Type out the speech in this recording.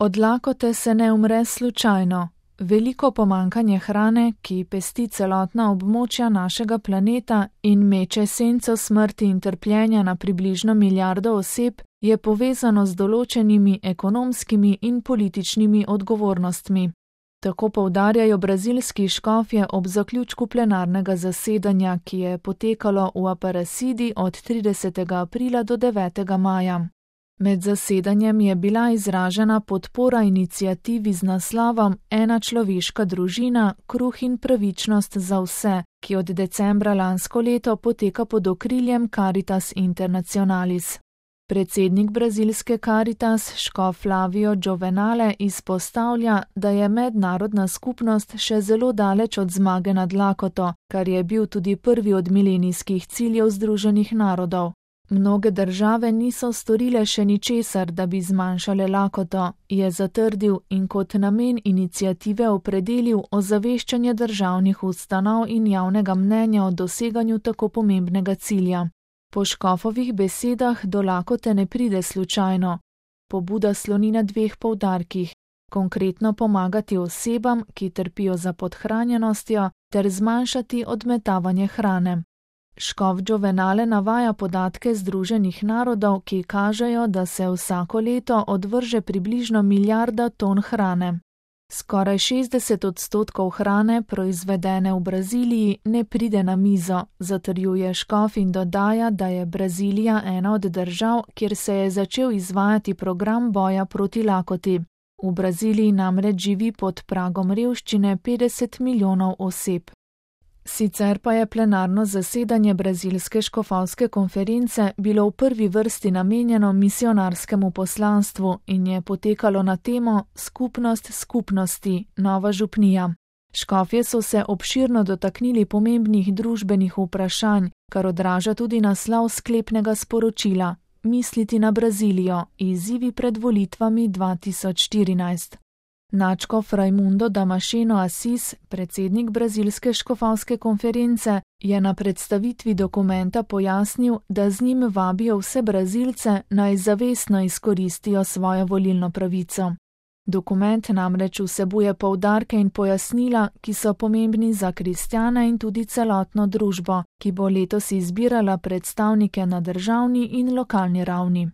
Od lakote se ne umre slučajno. Veliko pomanjkanje hrane, ki pesti celotna območja našega planeta in meče senco smrti in trpljenja na približno milijardo oseb, je povezano z določenimi ekonomskimi in političnimi odgovornostmi. Tako poudarjajo brazilski škofje ob zaključku plenarnega zasedanja, ki je potekalo v Aparecidi od 30. aprila do 9. maja. Med zasedanjem je bila izražena podpora iniciativi z naslovom Ena človeška družina, kruh in pravičnost za vse, ki od decembra lansko leto poteka pod okriljem Caritas Internationalis. Predsednik brazilske Caritas, škof Flavio Giovenale, izpostavlja, da je mednarodna skupnost še zelo daleč od zmage nad lakoto, kar je bil tudi prvi od milenijskih ciljev Združenih narodov. Mnoge države niso storile še ničesar, da bi zmanjšale lakoto, je zatrdil in kot namen iniciative opredelil ozaveščanje državnih ustanov in javnega mnenja o doseganju tako pomembnega cilja. Po škofovih besedah do lakote ne pride slučajno. Pobuda sloni na dveh poudarkih: konkretno pomagati osebam, ki trpijo za podhranjenostjo, ter zmanjšati odmetavanje hrane. Škof Giovenale navaja podatke Združenih narodov, ki kažejo, da se vsako leto odvrže približno milijarda ton hrane. Skoraj 60% hrane, proizvedene v Braziliji, ne pride na mizo, zatrjuje škof in dodaja, da je Brazilija ena od držav, kjer se je začel izvajati program boja proti lakoti. V Braziliji namreč živi pod pragom revščine 50 milijonov oseb. Sicer pa je plenarno zasedanje brazilske škofovske konference bilo v prvi vrsti namenjeno misionarskemu poslanstvu in je potekalo na temo Skupnost skupnosti, nova župnija. Škofje so se obširno dotaknili pomembnih družbenih vprašanj, kar odraža tudi naslov sklepnega sporočila: Misliti na Brazilijo, izzivi pred volitvami 2014. Nadškof Raimundo Damasceno Assis, predsednik brazilske škofovske konference, je na predstavitvi dokumenta pojasnil, da z njim vabijo vse Brazilce, naj zavestno izkoristijo svojo volilno pravico. Dokument namreč vsebuje poudarke in pojasnila, ki so pomembni za kristjane in tudi celotno družbo, ki bo letos izbirala predstavnike na državni in lokalni ravni.